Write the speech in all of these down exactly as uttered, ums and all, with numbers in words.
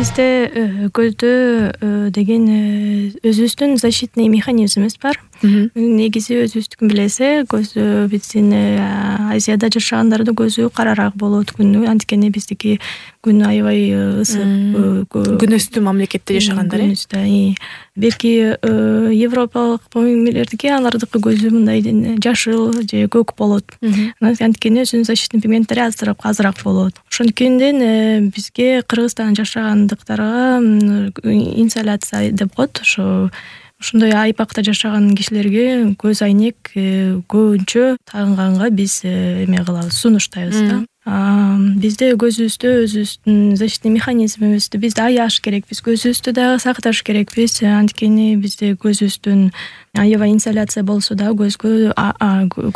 бизде көздө деген өзүбүздүн защитный механизмибиз бар. Негизи өзүбүздүкүн билесе, көзү биздин Азияда жашагандардын көзү карараак болот күнү, анткени биздики күн аябай ысык. Күн үстү мамлекетте жашагандар э. Бирки европалык мамилердики алардыкы көзү мындай жашыл же көк болот. Анткени өзүнүн защитный пигменттери азыраак азыраак болот. Ошонткенден бизге Кыргызстанда жашагандыктарга инсоляция деп коет. Ошо ушундай айпакта жашаган кишилерге көз айнек көбүнчө тагынганга биз эме кылабыз, сунуштайбыз да. Бизде көзүбүздө өзүбүздүн защитный механизмибизди бизди аяш керекпиз, көзүбүздү дагы сакташ керекпиз. Анткени бизде көзүбүздүн аябай инсоляция болсо да көзгө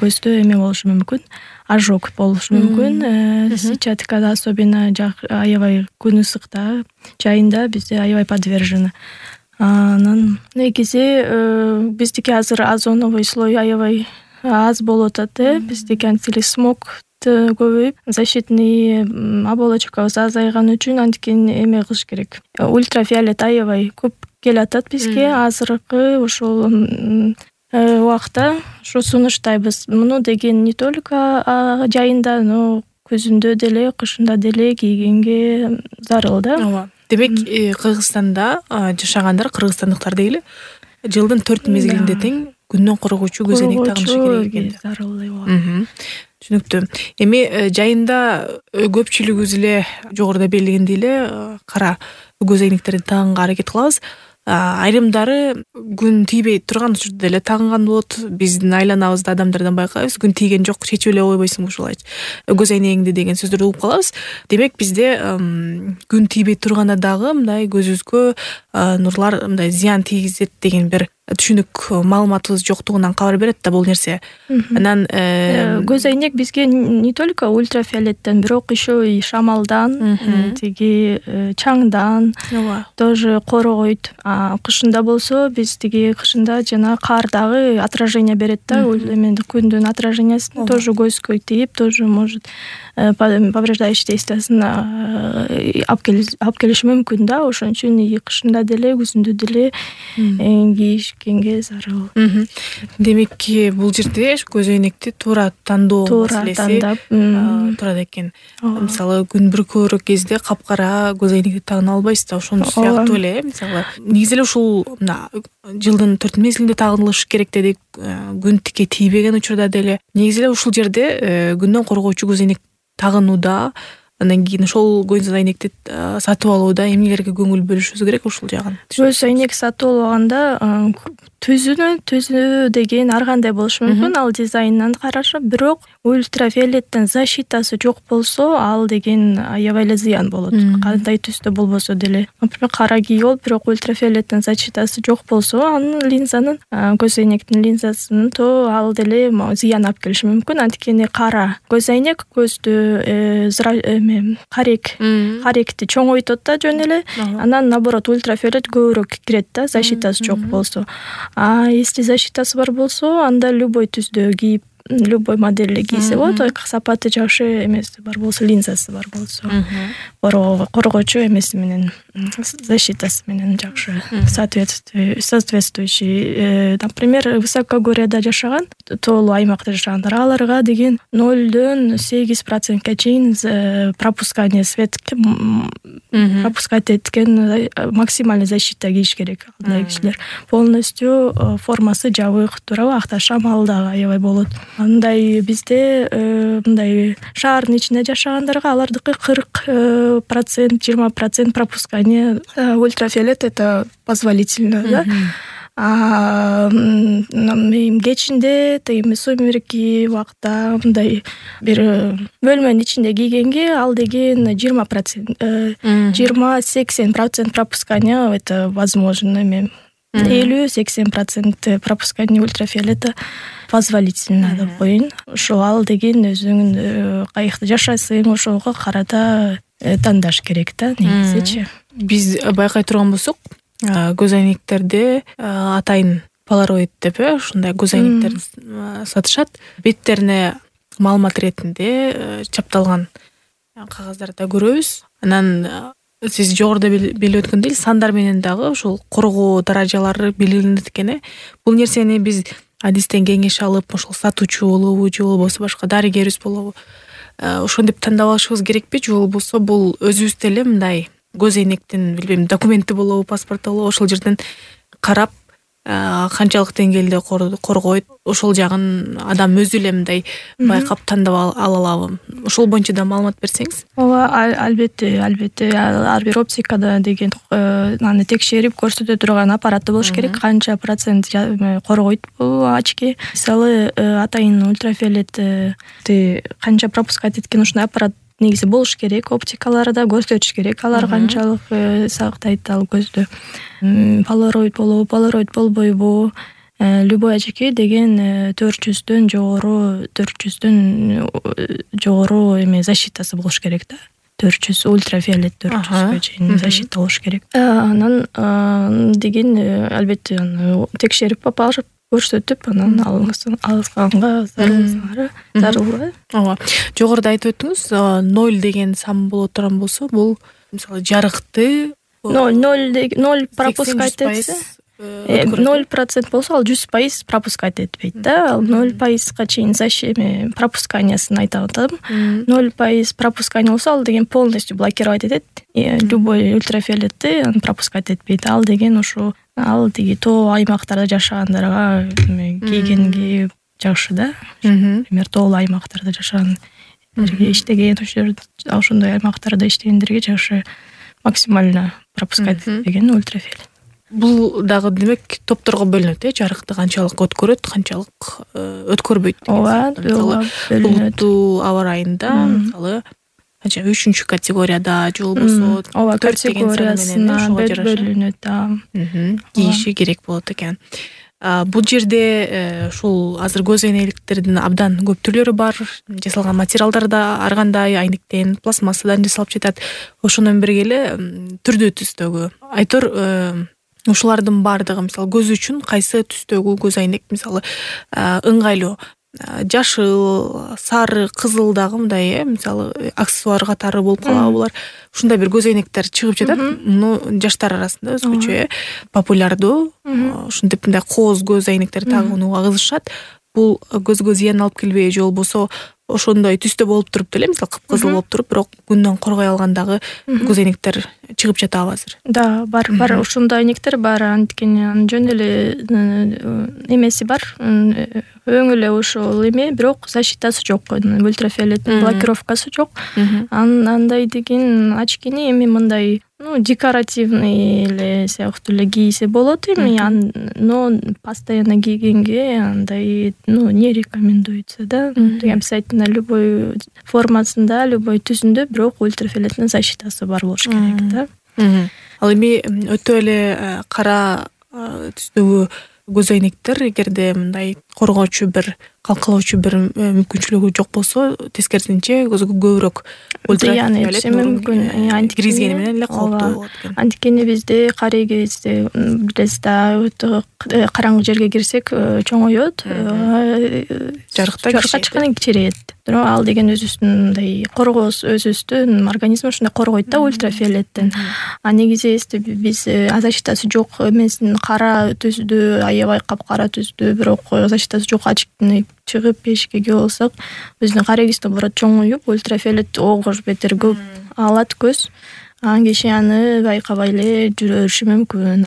көздө эме болушу мүмкүн, ожог болушу мүмкүн. Сетчаткада особенно аябай күн ысыкта жайында бизде аябай подвержены. Анан негизи биздики азыр озоновый слой аябай аз болуп атат э. Биздики антиле смог көбөйүп, защитный оболочкабыз азайган үчүн анткени эме кылыш керек. Ультрафиолет аябай көп келатат бизге. Азыркы ушул убакта ушу сунуштайбыз. Муну деген не только жайында, но күзүндө деле, кышында деле кийгенге зарыл да. Ооба. Демек, Кыргызстанда жашагандар, кыргызстандыктар дейли, жылдын төрт мезгилинде тең күндөн коргоочу көз айнек тагынышы керек экен. Зарыл. Түшүнүктүү. Эми жайында көпчүлүгүбүз эле жогоруда белгилегендей эле кара көз айнектерди тагынга аракет кылабыз. Айрымдары күн тийбей турган учурда эле тагынган болот. Биздин айланабызда адамдардан байкайбыз, күн тийген жок, чечип эле койбойсуңбу ушулайчы. Көз айнегиңди деген сөздөрдү угуп калабыз. Демек, бизде күн тийбей турганда дагы мындай көзүбүзгө нурлар мындай зыян тийгизет деген бир түшүнүк маалыматыбыз жоктугунан кабар берет да бул нерсе. Анан көз айнек бизге не только ультрафиолеттен, бирок еще и шамалдан, тиги чаңдан тоже коргойт. Кышында болсо биз тиги кышында жана кар дагы отражение берет да, эменди күндүн отражениясын тоже көзгө тийип, тоже может повреждающий действиясын алып келиши мүмкүн да. Ошон үчүн и кышында деле, күзүндө деле кийишкенге зарыл. Демек, бул жерде көз айнекти туура тандоо маселеси турат экен. Мисалы, күн бүр көбүрөөк кезде капкара көз айнекти тагына албайсыз да, ошону сыяктуу эле. Мисалы, негизи эле ушул мына жылдын төрт мезгилинде тагынылыш керек дедик, күн тике тийбеген учурда деле. Негизи эле ушул жерде күндөн коргоочу көз айнек тагынууда, андан кийин ошол көз айнекти сатып алууда эмнелерге көңүл бөлүшүбүз керек ушул жагын? Көз айнек сатып алганда түзүнө түзүү деген ар кандай болушу мүмкүн, ал дизайнынан карашы, бирок ультрафиолеттен защитасы жок болсо, ал деген аябай эле зыян болот. Кандай түстө болбосо деле. Например, кара кийип алып, бирок ультрафиолеттен защитасы жок болсо, анын линзанын, көз айнектин линзасынын то ал деле зыян алып келиши мүмкүн. Анткени кара көз айнек көздү карек, каректи чоңойтот да жөн эле. Анан наоборот ультрафиолет көбүрөөк кирет да, защитасы жок болсо. А если защитасы бар болсо, анда любой түздө кийип, любой моделде кийсе болот. Сапаты жакшы эмеси бар болсо, линзасы бар болсо, коргоочу эмеси менен, защитасы менен жакшы соответствующий. Например, высокогорьеда жашаган, тоолуу аймакта жашагандар, аларга деген нолдон сегиз процентке чейин пропускание свет пропускать эткен максимальный защита кийиш керек. Андай кишилер полностью формасы жабык, туурабы, акта шамал дагы аябай болот. Андай бизде мындай шаардын ичинде жашагандарга алардыкы кырк процент, жыйырма процент пропускание ультрафиолет, это позволительно, да. А кечинде, тыйым сумерки убакта мындай бир бөлмөнүн ичинде кийгенге ал деген жыйырма процент, жыйырма сексен процент пропускание, это возможно. Эми элүү-сексен процент пропускание ультрафиолета позволительно деп коеюн. Ошо ал деген өзүңүн каякта жашайсың, ошого карата тандаш керек да, негизичи. Биз байкай турган болсок, көз айнектерде атайын полароид деп э, ушундай көз айнектерди сатышат. Беттерине маалымат иретинде чапталган кагаздарды көрөбүз. Анан сиз жогоруда белгилеп өткөндөй сандар менен дагы ушул коргоо даражалары белгиленет экен э. Бул нерсени биз адистен кеңеш алып, ошол сатуучу болобу же болбосо башка дарыгерибиз болобу ошентип тандап алышыбыз керекпи, же болбосо бул өзүбүз деле мындай көз эйнектин билбейм документи болобу, паспорту болобу, ошол жерден карап канчалык деңгээлде коргойт, ошол жагын адам өзү эле мындай байкап тандап ала алабы? Ошол боюнча да маалымат берсеңиз. Ооба, албетте, албетте ар бир оптикада деген аны текшерип көрсөтө турган аппараты болуш керек, канча процент коргойт бул очки. Мисалы, атайын ультрафиолетти канча пропускать эткен ушундай аппарат негизи болуш керек, оптикаларда көрсөтүш керек, алар канчалык сактайт ал көздү. Полароид болобу, полароид болбойбу, любой очки деген төрт жүздөн жогору, төрт жүздөн жогору эме защитасы болуш керек да. төрт жүз ультрафиолет төрт жүзгө чейин защита болуш керек. Анан деген албетте аны текшерип алып көрсөтүп, анан алганга зарылсаңар, зарыл. Ооба. Жогоруда айтып өттүңүз, ноль деген сан боло турган болсо, бул мисалы жарыкты ноль пропускать этсе, ноль процент болсо ал жүз пайыз пропускать этпейт да. Ал ноль пайызга чейин защита пропусканиясын айтып атам. ноль пайыз пропускания болсо, ал деген полностью блокировать этет. Любой ультрафиолетти пропускать этпейт. Ал деген ошо ал тиги тоо аймактарда жашагандарга кийгенге жакшы да. Например, тоолуу аймактарда жашаган, иштеген, ошондой аймактарда иштегендерге жакшы максимально пропускать этпеген ультрафиолет. Бул дагы демек топторго бөлүнөт э, жарыкты канчалык өткөрөт, канчалык өткөрбөйт. Ооба, булуттуу аба ырайында, мисалы, канча үчүнчү категорияда же болбосо ооба, категориясына бөлүнөт да. Кийиши керек болот экен. Бул жерде ушул азыр көз эйнектердин абдан көп түрлөрү бар. Жасалган материалдар да ар кандай айнектен, пластмассадан жасалып жатат. Ошону менен бирге эле түрдүү түстөгү. Айтор ушулардын баардыгы мисалы көз үчүн кайсы түстөгү көз айнек мисалы ыңгайлуу? Жашыл, сары, кызыл дагы мындай э, мисалы аксессуар катары болуп калабы булар. Ушундай бир көз эйнектер чыгып жатат. Муну жаштар арасында өзгөчө э, популярдуу. Ушинтип мындай кооз көз эйнектер тагууга кызышат. Бул көзгө зыян алып келбей же болбосо ошондой түстө болуп туруп деле, мисалы кыпкызыл болуп туруп, бирок күндөн коргой алгандагы көз эйнектер чыгып жатабы азыр? Да, бар, бар, ошондой эйнектер бар. Анткени жөн эле эмеси бар. Өң эле ошол эме, бирок защитасы жок, ультрафиолеттин блокировкасы жок. Андай деген очкини эми мындай, ну, декоративный эле сыяктуу эле кийсе болот эми, но постоянно кийгенге андай, ну, не рекомендуется, да. Обязательно любой формасында, любой түсүндө бирок ультрафиолеттин защитасы бар болуш керек да. Ал эми өтө эле кара түстөгү көз эйнектер эгерде мындай коргоочу бир, калкалоочу бир мүмкүнчүлүгү жок болсо, тескерисинче көзгө көбүрөөк ультрафиолет мүмкүн киргизгени менен эле кооптуу болот экен. Анткени бизде кары кезде билесиз да, өтө караңгы жерге кирсек чоңойот, жарыкта чыккан кичирейет. Бирок ал деген өзүбүздүн мындай коргоос, өзүбүздүн организм ушундай коргойт да ультрафиолеттен. А негизи биз защитасы жок эмесин, кара түздү, аябай капкара түздү, бирок защитасы жок очкини чыгып эшикке кирип алсак, биздин карегибиз наоборот чоңоюп, ультрафиолет огош бетер көп алат көз. Ан киши аны байкабай эле жүрө бериши мүмкүн.